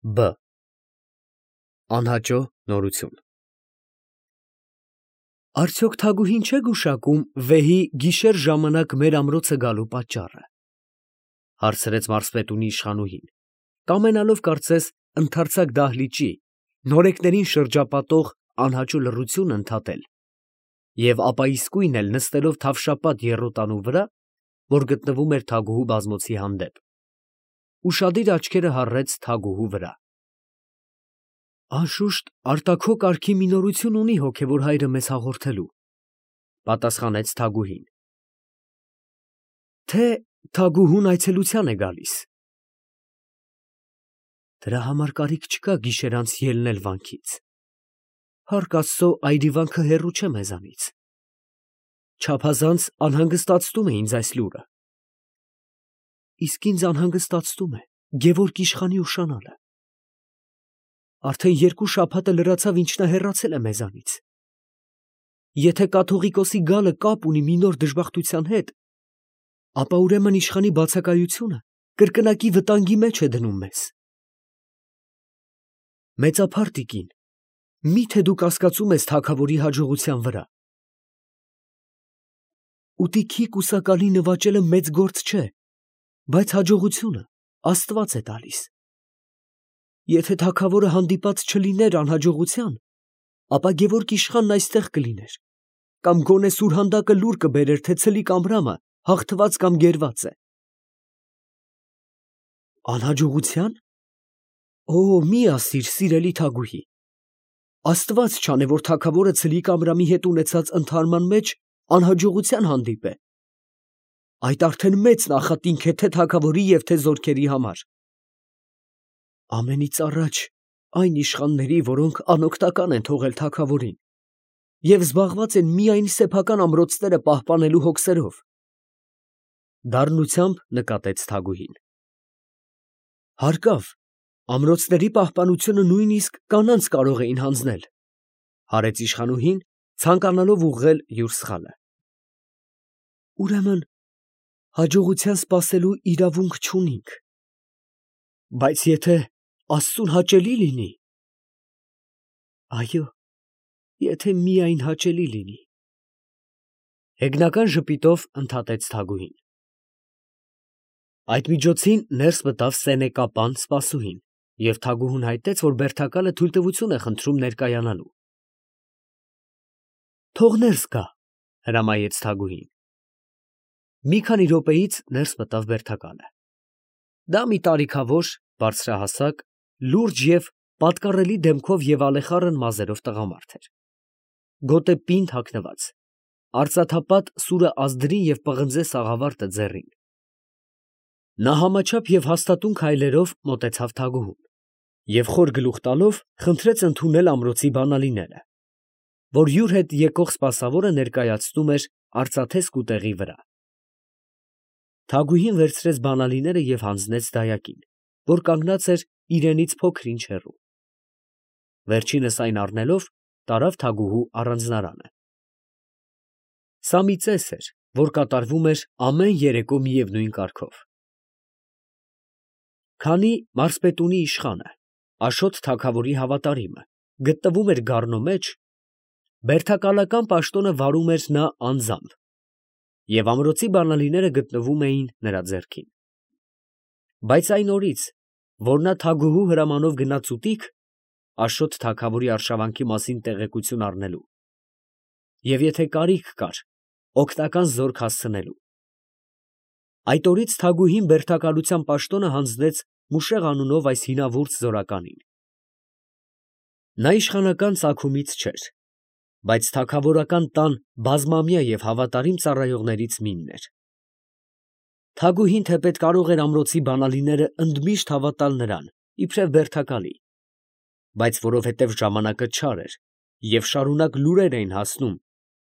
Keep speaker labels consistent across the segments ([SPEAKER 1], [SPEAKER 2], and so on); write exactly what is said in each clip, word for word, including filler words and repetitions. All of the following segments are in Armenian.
[SPEAKER 1] Բ. Անհաճո նորություն։ Արդյոք Թագուհին չէ գուշակում վեհի գիշեր ժամանակ մեր ամրոցը գալու պատճառը, հարցրեց մարզպետունի իշխանուհին, կամենալով կարծես ընդարձակ դահլիճի, նորեկներին շրջապատող անհաճո լռությունը ընդհատել և ապա իսկույն էլ նստելով թավշապատ եռոտանու վրա, որ գտնվում էր Թագուհու բազմոցի հանդեպ, ուշադիր աչքերը հառեց Թագուհու վրա։ Անշուշտ արտաքո կարգի մի նորություն ունի հոգևոր հայրը մեզ հաղորդելու, պատասխանեց Թագուհին։ Թե Թագուհուն այցելության է գալիս։ Դրա համար կարիք չկա գիշեր անց ելնել վանքից։ Փառք Աստծո, այրիվանքը հեռու չէ մեզանից։ Չափազանց անհանգստացնում է ինձ այս լուրը։ Իսկ ինձ անհանգստացնում է Գևորգ իշխանի ուշանալը։ Արդեն երկու շաբաթ է լրացավ, ինչ նա հեռացել է մեզանից։ Եթե կաթողիկոսի գալը կապ ունի մի նոր դժբախտության հետ, ապա ուրեմն իշխանի բացակայությունը կրկնակի վտանգի մեջ է դնում մեզ։ Մեծափառ տիկին, մի՞թե դու կասկածում ես թագավորի հաջողության վրա։ Ուտիքի կուսակալի նվաճելը մեծ գործ չէ, բայց հաջողությունը Աստված է տալիս։ Եթե թագավորը հանդիպած չլիներ անհաջողության, ապա Գևորգ իշխանն այստեղ կլիներ, կամ գոնե սուրհանդակը լուր կբերեր, թե ցլիկ Ամրամը հաղթված կամ գերված է։ Անհաջողության։ Օ, մի ասիր, սիրելի Թագուհի, Աստված չանե, որ թագավորը ցլիկ Ամրամի հետ ունեցած ընդհարման մեջ անհաջողության հանդիպե։ Այդ արդեն մեծ նախատինք է թե թագավորի և թե զորքերի համար։ Ամենից առաջ այն իշխանների, որոնք անօգնական են թողել թագավորին և զբաղված են միայն սեփական ամրոցները պահպանելու հոգսերով։ Դառնությամբ նկատեց Թագուհին։ Հարկավ, ամրոցների պահպանությունը նույնիսկ կանանց կարող էին հանձնել, հարեց իշխանուհին, ցանկանալով ուղղել յուր սխալը։ Ուրեմն հաջողության սպասելու իրավունք չունինք։ Բայց եթե Աստծուն հաճելի լինի։ Այո, եթե միայն հաճելի լինի։ Հեգնական ժպիտով ընդհատեց Թագուհին։ Այդ միջոցին ներս մտավ սենեկապան սպասուհին, և Թագուհուն հայտնեց, որ բերդակալը թույլտվություն է խնդրում ներկայանալու։ Թող ներս գա, հրամայեց Թագուհին։ Մի քանի րոպեից ներս մտավ բերդակալը։ Դա մի տարիքավոր, բարձրահասակ, լուրջ և պատկառելի դեմքով և ալեխառն մազերով տղամարդ էր։ Գոտե պինդ հագնված, արծաթապատ սուրը ազդրին և պղնձե սաղավարտը ձեռին։ Նա համաչափ և հաստատուն քայլերով մոտեցավ Թագուհուն և խոր գլուխ տալով խնդրեց ընդունել ամրոցի բանալիները, որ յուր հետ եկող սպասավորը ներկայացնում էր արծաթե սկուտեղի վրա։ Թագուհին վերցրեց բանալիները և հանձնեց դայակին, որ կանգնած էր իրենից փոքր-ինչ հեռու։ Վերջինս այն առնելով, տարավ Թագուհու առանձնարանը։ Սա մի ծես էր, որ կատարվում էր ամեն երեկո միևնույն կարգով։ Քանի մարզպետունի իշխանը, Աշոտ թագավորի հավատարիմը, գտնվում էր գառնո մեջ, բերդակալական պաշտոնը վարում էր նա անձամբ, և ամրոցի բանալիները գտնվում էին նրա ձեռքին։ Բայց այն օրից, որ նա Թագուհու հրամանով գնաց ուտիկ, Աշոտ թագավորի արշավանքի մասին տեղեկություն առնելու, և եթե կարիք կար, օգնական զորք հասցնելու, այդ օրից Թագուհին բերդակալության պաշտոնը հանձնեց Մուշեղ անունով այս հինավուրց զորականին։ Նա իշխանական ծագումից չէր, բայց թագավորական տան բազմամյա և հավատարիմ ծառայողներից մինն էր։ Թագուհին թեպետ կարող էր ամրոցի բանալիները ընդմիշտ հավատալ նրան, իբրև բերդակալի, բայց որովհետև ժամանակը չար էր և շարունակ լուրեր էին հասնում,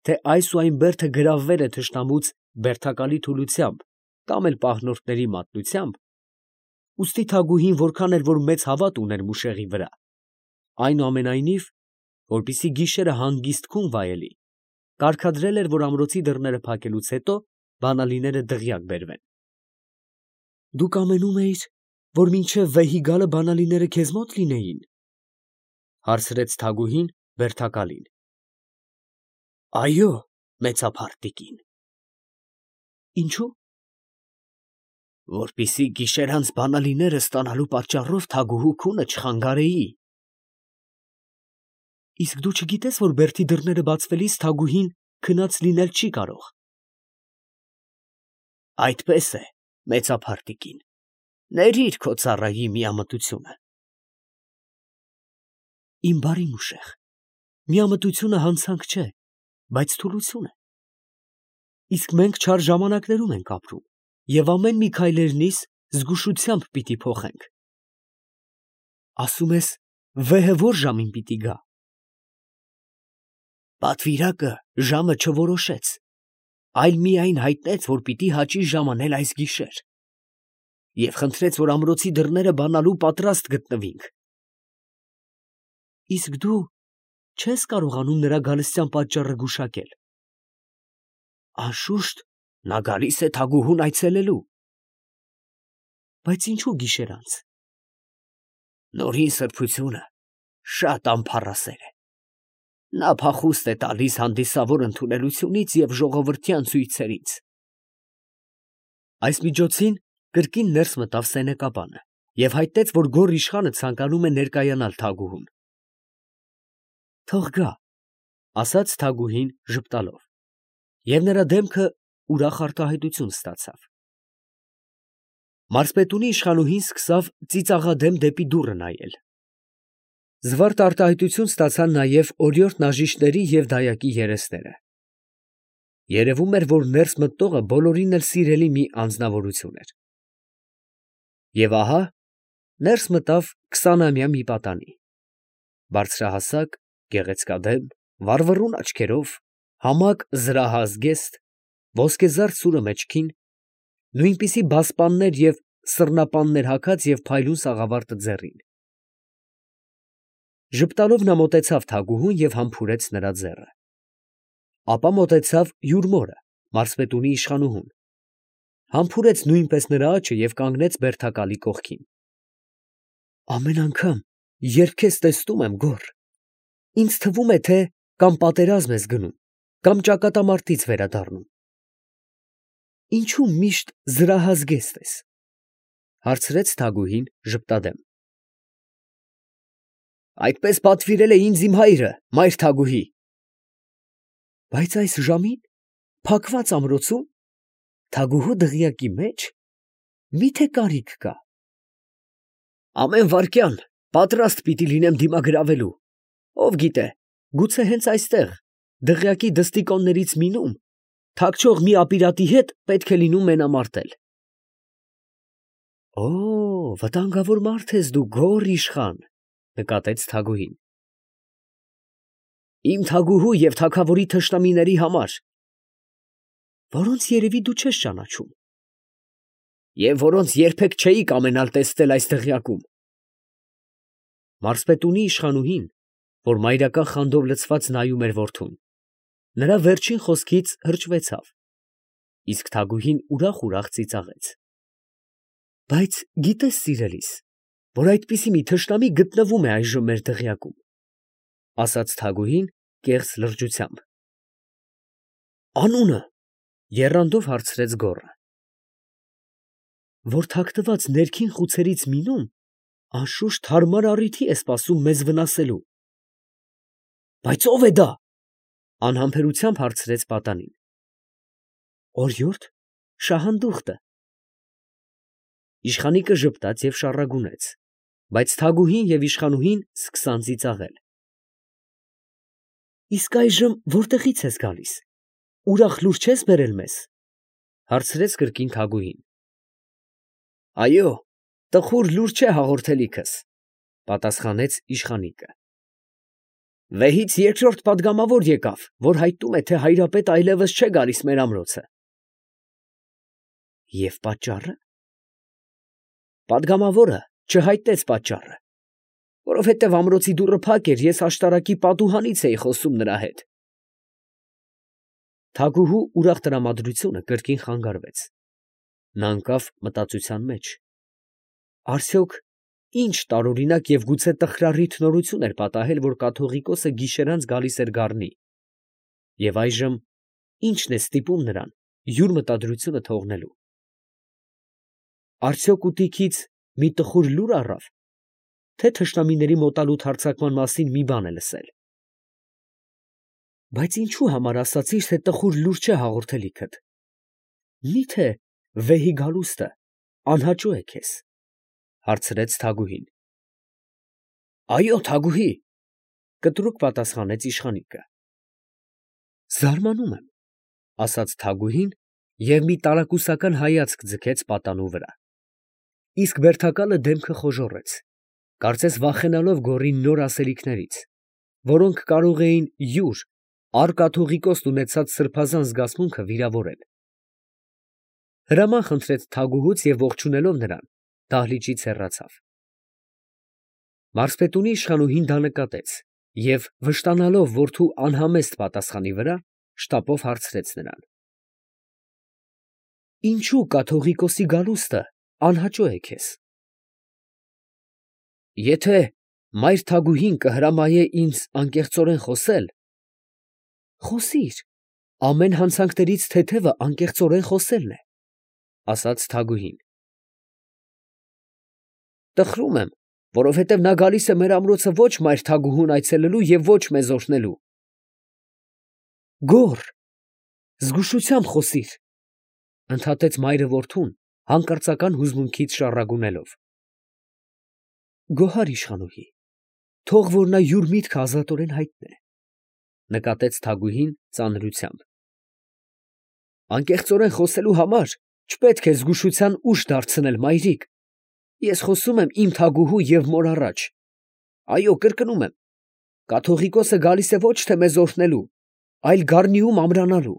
[SPEAKER 1] թե այս ու այն բերդը գրավվել է թշնամուց բերդակալի թուլությամբ կամ էլ պահնորդների մատնությամբ, ուստի Թագուհին որքան էլ որ մեծ հավատ ուներ Մուշեղի վրա, այնուամենայնիվ, որպեսզի գիշերը հանգիստ քուն վայելի, կարգադրել էր, որ ամրոցի դռները փակելուց հետո բանալիները դղյակ բերվեն։ Դուք ամենում էիր, որ մինչև վեհի գալը բանալիները քեզ մոտ լինեին, հարցրեց Թագուհին բերդակալին։ Այո, մեծափառ տիկին։ Ինչու՞։ Որպիսի գիշերանց բանալիները ստանալու պատճառով Թագուհու քունը չխանգարեի։ Իսկ դու չգիտես, որ բերդի դռները բացվելիս Թագուհին քնած լինել չի կարող։ Այդպես է, մեծափառ տիկին, ներիր քո ծառայի միամտությունը։ Իմ բարի մուշեղ, միամտությունը հանցանք չէ, բայց թուլություն է։ Իսկ մենք չար ժամանակներում ենք ապրում, և ամեն մի քայլերնից զգուշությամբ պիտի փոխենք։ Ասում ես, վեհը ո՞ր ժամին պիտի գա։ Պատվիրակը ժամը չորոշեց, այլ միայն հայտնեց, որ պիտի հաճի ժամանել այս գիշեր, և խնդրեց, որ ամրոցի դռները բանալու պատրաստ գտնվինք։ Իսկ դու չես կարողանում նրա գալստյան պատճառը գուշակել։ Անշուշտ, նա գալիս է Թագուհուն այցելելու։ Բայց ինչու գիշերանց։ Նորին սրբությունը շատ ամփառասեր է։ Նա փախուստ է տալիս հանդիսավոր ընդունելությունից և ժողովրդյան ցույցերից։ Այս միջոցին կրկին ներս մտավ սենեկաբանը և հայտնեց, որ գոռ իշխանը ցանկանում է ներկայանալ Թագուհուն։ Թող գա, ասաց Թագուհին ժպտալով, և նրա դեմքը ուրախ արտահայտություն ստացավ։ Մարզպետունի իշխանուհին սկսավ ծիծաղադեմ դեպի դուռը նայել։ Զվարթ արտահայտություն ստացան նաև օրիորդ Նաժիշների և դայակի երեսները։ Երևում էր, որ ներս մտնողը բոլորին էլ սիրելի մի անձնավորություն էր։ Եվ ահա ներս մտավ քսանամյա մի պատանի, բարձրահասակ, գեղեցկադեմ, վառվռուն աչքերով, համակ զրահազգեստ, ոսկեզարդ սուրը մեջքին, նույնպիսի բասպաններ և սռնապաններ հագած և փայլուն սաղավարտը ձեռին։ Ժպտալով նա մոտեցավ Թագուհուն և համբուրեց նրա ձեռը։ Ապա մոտեցավ յուր մորը, մարզպետունի իշխանուհուն, համբուրեց նույնպես նրա աջը և կանգնեց բերդակալի կողքին։ Ամեն անգամ, երբ քեզ տեսնում եմ, գոռ, ինձ թվում է, թե կամ պատերազմ ես գնում, կամ ճակատամարտից վերադառնում։ Ինչու միշտ զրահազգեստ ես, հարցրեց Թագուհին ժպտադեմ։ Այդպես պատվիրել է ինձ իմ հայրը, մայր Թագուհի։ Բայց այս ժամին, փակված ամրոցում, Թագուհու դղյակի մեջ, մի՞թե կարիք կա։ Ամեն վայրկյան պատրաստ պիտի լինեմ դիմագրավելու, ով գիտե, գուցե հենց այստեղ, դղյակի դստիկոններից մինում, թաքչող մի ապիրատի հետ պետք է լինում մենամարտել։ Օ, վտանգավոր մարդ ես դու, գոռ իշխան, նկատեց Թագուհին։ Իմ Թագուհու և թագավորի թշնամիների համար, որոնց երևի դու չես ճանաչում, և որոնց երբեք չէի կամենալ տեսնել այս դղյակում։ Մարզպետունի իշխանուհին, որ մայրական խանդով լցված նայում էր որդուն, նրա վերջին խոսքից հրճվեցավ, իսկ Թագուհին ուրախ֊ուրախ ծիծաղեց։ Բայց գիտես, սիրելիս, որ այդպիսի մի թշնամի գտնվում է այժմ մեր դղյակում, ասաց Թագուհին կեղծ լրջությամբ։ Անունը, եռանդով հարցրեց գոռը։ Որ թաքնված ներքին խուցերից մինում, անշուշտ հարմար առիթի է սպասում մեզ վնասելու։ Բայց ո՞վ է դա, անհամբերությամբ հարցրեց պատանին։ Օրիորդ Շահանդուխտը։ Իշխանիկը ժպտաց և շառագունեց, բայց Թագուհին և իշխանուհին սկսան ծիծաղել։ Իսկ այժմ որտեղից ես գալիս, ուրախ լուր չես բերել մեզ, հարցրեց կրկին Թագուհին։ Այո, տխուր լուր չէ հաղորդելիքս, պատասխանեց իշխանիկը։ Վեհից երկրորդ պատգամավոր եկավ, որ հայտնում է, թե հայրապետը այլևս չէ գալիս մեր ամրոցը։ Եվ պատճառը։ Պատգամավորը չհայտնեց պատճառը, որովհետև ամրոցի դուռը փակ էր, ես աշտարակի պատուհանից էի խոսում նրա հետ։ Թագուհու ուրախ տրամադրությունը կրկին խանգարվեց։ Նա ընկավ մտածության մեջ։ Արդյոք ինչ տարօրինակ և գուցե տխրառիթ նորություն էր պատահել, որ կաթողիկոսը գիշերանց գալիս էր գառնի, և այժմ ի՞նչն է ստիպում նրան յուր մտադրությունը թողնելու. արդյոք ուտիքից մի տխուր լուր առավ, թե թշնամիների մոտալուտ հարձակման մասին մի բան է լսել։ Բայց ինչու համար ասացիր, թե տխուր լուր չէ հաղորդելիքդ. մի՞թե վեհի գալուստը անհաճո է քեզ, հարցրեց Թագուհին։ Այո, Թագուհի, կտրուկ պատասխանեց իշխանիկը։ Զարմանում եմ, ասաց Թագուհին և մի տարակուսական հայացք ձգեց պատանու վրա։ Իսկ բերդակալը դեմքը խոժոռեց, կարծես վախենալով գոռի նոր ասելիքներից, որոնք կարող էին յուր առ֊կաթողիկոսն ունեցած սրբազան զգացմունքը վիրավորել։ Հրաման խնդրեց թագուհուց և ողջունելով նրան, դահլիճից հեռացավ։ Մարզպետունի իշխանուհին դա նկատեց և, վշտանալով որդու անհամեստ պատասխանի վրա, շտապով հարցրեց նրան. Ինչո՞ւ կաթողիկոսի գալուստը անհաճո է քեզ։ Եթե մայր թագուհին կհրամայե ինձ անկեղծորեն խոսել, խոսիր, ամեն հանցանքներից թեթևը անկեղծորեն խոսելն է, ասաց թագուհին։ Տխրում եմ, որովհետև նա գալիս է մեր ամրոցը ոչ մայր թագուհուն այցելելու և ոչ մեզ օրհնելու։ Գոռ, զգուշությամբ խոսիր, ընդհատեց մայրը որդուն, հանկարծական հուզմունքից շառագունելով։ Գոհար իշխանուհի, թող որ նա յուր միտքը ազատորեն հայտնե, նկատեց թագուհին ծանրությամբ։ Անկեղծորեն խոսելու համար չպետք է զգուշության ուժ դարձնել, մայրիկ, ես խոսում եմ իմ թագուհու և մոր առաջ։ Այո, կրկնում եմ, կաթողիկոսը գալիս է ոչ թե մեզ օրհնելու, այլ գառնիում ամրանալու։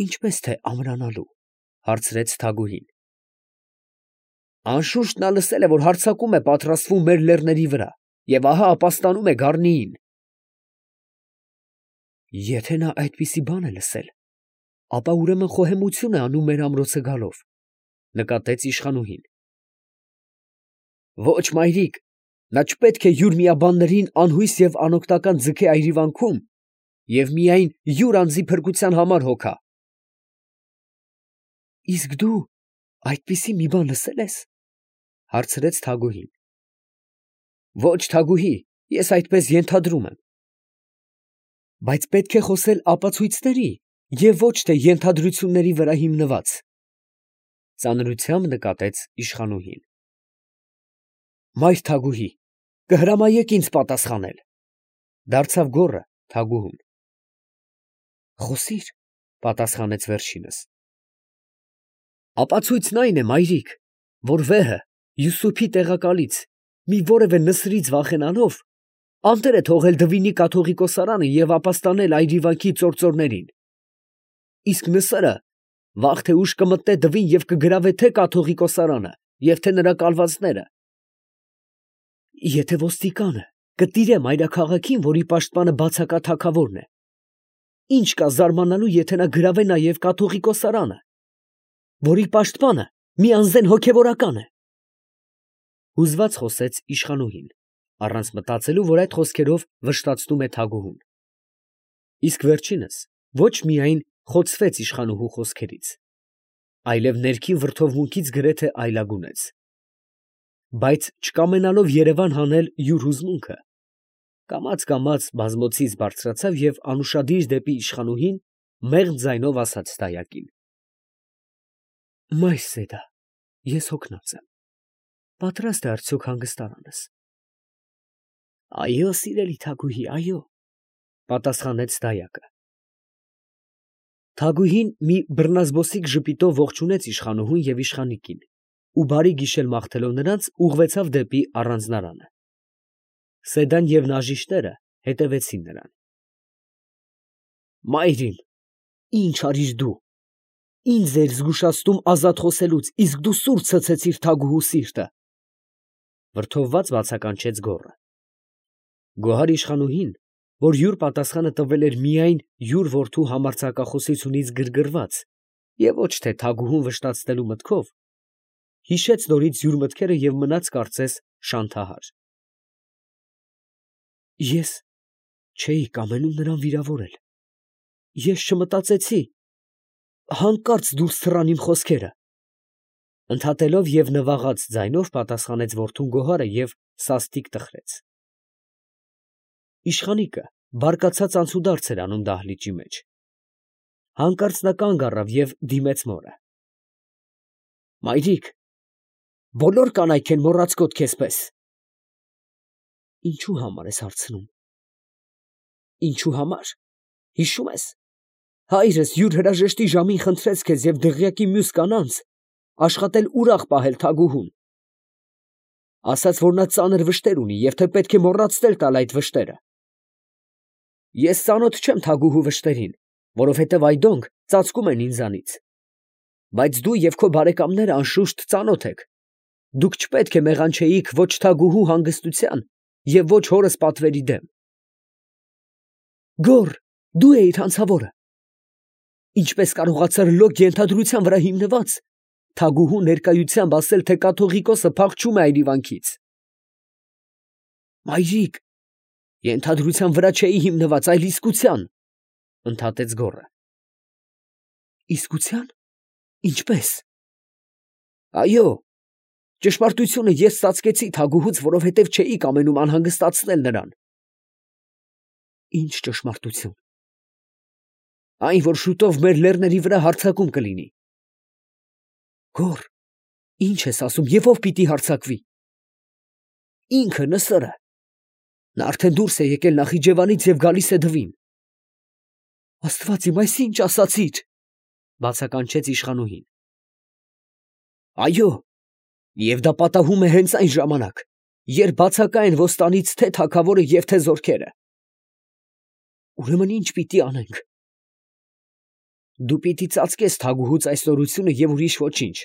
[SPEAKER 1] Ինչպես թե ամրանալու, հարցրեց թագուհին։ Անշուշտ նա լսել է, որ հարձակում է պատրաստվում մեր լեռների վրա, և ահա ապաստանում է գառնիին։ Եթե նա այդպիսի բան է լսել, ապա ուրեմն խոհեմություն է անում մեր ամրոցը գալով, նկատեց իշխանուհին։ Ոչ, մայրիկ, նա չպետք է յուր միաբաններին անհույս և անօգնական ձգե այրիվանքում և միայն յուր անձի փրկության համար հոգա։ Իսկ դու այդպիսի մի բան լսե՞լ ես, հարցրեց թագուհին։ Ոչ, թագուհի, ես այդպես ենթադրում եմ։ Բայց պետք է խոսել ապացույցների և ոչ թե ենթադրությունների վրա հիմնված, ծանրությամբ նկատեց իշխանուհին։ Մայր թագուհի, կհրամայեք ինձ պատասխանել, դարձավ գոռը թագուհուն։ Խոսիր, պատասխանեց վերջինս։ Ապացույցն այն է, մայրիկ, որ վեհը Յուսուփի տեղակալից մի որևէ նսրից վախենալով անտեր է թողել Դվինի կաթողիկոսարանը և ապաստանել այրիվանքի ծործորներին։ Իսկ նսրը վաղ թե ուշ կմտնե Դվին և կգրավե թե կաթողիկոսարանը և թե նրա կալվածները։ Եթե ոստիկանը կտիրե մայրաքաղաքին, որի պաշտպանը բացակա թագավորն է, ինչ կա զարմանալու, եթե նա գրավե նաև կաթողիկոսարանը, որի պաշտպանը մի անզեն հոգևորական է։ Հուզված խոսեց իշխանուհին, առանց մտածելու, որ այդ խոսքերով վշտացնում է թագուհուն։ Իսկ վերջինս ոչ միայն խոցվեց իշխանուհու խոսքերից, այլև ներքին վրդովմունքից գրեթե այլագունեց։ Բայց չկամենալով երևան հանել յուր հուզմունքը, կամաց֊կամաց բազմոցից բարձրացավ և անուշադիր դեպի իշխանուհին մեղմ ձայնով ասաց դայակին. Մայր Սեդա, ես հոգնած եմ, պատրաստ է արդյոք հանգստարանս։ Այո, սիրելի թագուհի, այո, պատասխանեց դայակը։ Թագուհին մի բռնազբոսիկ ժպիտով ողջունեց իշխանուհուն և իշխանիկին ու բարի գիշեր մաղթելով նրանց, ուղղվեցավ դեպի առանձնարանը։ Սեդան և նաժիշտերը հետևեցին նրան։ Մայրին, ի՞նչ արիր դու, ինձ էիր զգուշացնում ազատ խոսելուց, իսկ դու սուր ցցեցիր թագուհու սիրտը, վրդովված բացականչեց գոռը։ Գոհար իշխանուհին, որ յուր պատասխանը տվել էր միայն յուր որդու համարձակախոսությունից գրգռված և ոչ թե թագուհուն վշտացնելու մտքով, հիշեց նորից յուր մտքերը և մնաց կարծես շանթահար։ Ես չէի կամենում նրան վիրավորել, ես չմտածեցի, հանկարծ դուրս թռան իմ խոսքերը, ընդհատելով և նվաղած ձայնով պատասխանեց որդուն Գոհարը և սաստիկ տխրեց։ Իշխանիկը բարկացած անցուդարձ էր անում դահլիճի մեջ։ Հանկարծ նա կանգ առավ և դիմեց մորը։ Մայրիկ, բոլոր կանայք են մոռացկոտ քեզպես։ Ինչու համար ես հարցնում։ Ինչու համար, հիշում ես, հայրս յուր հրաժեշտի ժամին խնդրեց քեզ և դղյակի մյուս կանանց աշխատել ուրախ պահել թագուհուն, ասաց, որ նա ծանր վշտեր ունի և թե պետք է մոռացնել տալ այդ վշտերը։ Ես ծանոթ չեմ թագուհու վշտերին, որովհետև այդոնք ծածկում են ինձանից, բայց դու և քո բարեկամները անշուշտ ծանոթ եք, դուք չպետք է մեղանչեիք ոչ թագուհու հանգստության և ոչ հորս պատվերի դեմ։ Գոռ, դու էիր հանցավորը։ Ինչպես կարողացար լոկ ենթադրության վրա հիմնված թագուհու ներկայությամբ ասել, թե կաթողիկոսը փախչում է այրիվանքից։ Մայրիկ, ենթադրության վրա չէի հիմնված, այլ իսկության, ընդհատեց գոռը։ Իսկության, ինչպես։ Այո, ճշմարտությունը ես ծածկեցի թագուհուց, որովհետև չէի կամենում անհանգստացնել նրան։ Ինչ ճշմարտություն։ Այն, որ շուտով մեր լեռների վրա հարձակում կլինի։ Գոռ, ինչ ես ասում և ով պիտի հարձակվի։ Ինքը Նսրը։ Նա արդեն դուրս է եկել Նախիջևանից և գալիս է Դվին։ Աստված իմ, այս ինչ ասացիր, բացականչեց իշխանուհին։ Այո, և դա պատահում է հենց այն ժամանակ, երբ բացակա են ոստանից թե թագավորը և թե զորքերը։ Ուրեմն ի՞նչ պիտի անենք։ Դու պիտի ծածկես թագուհուց այս նորությունը և ուրիշ ոչինչ,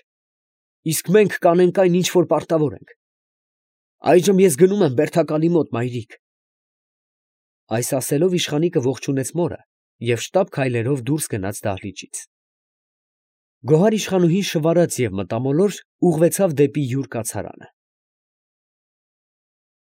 [SPEAKER 1] իսկ մենք կանենք այն, ինչ որ պարտավոր ենք։ Այժմ ես գնում եմ բերդակալի մոտ, մայրիկ։ Այս ասելով իշխանիկը ողջունեց մորը և շտապ քայլերով դուրս գնաց դահլիճից։ Գոհար իշխանուհին շվարած և մտամոլոր ուղղվեցավ դեպի յուր կացարանը։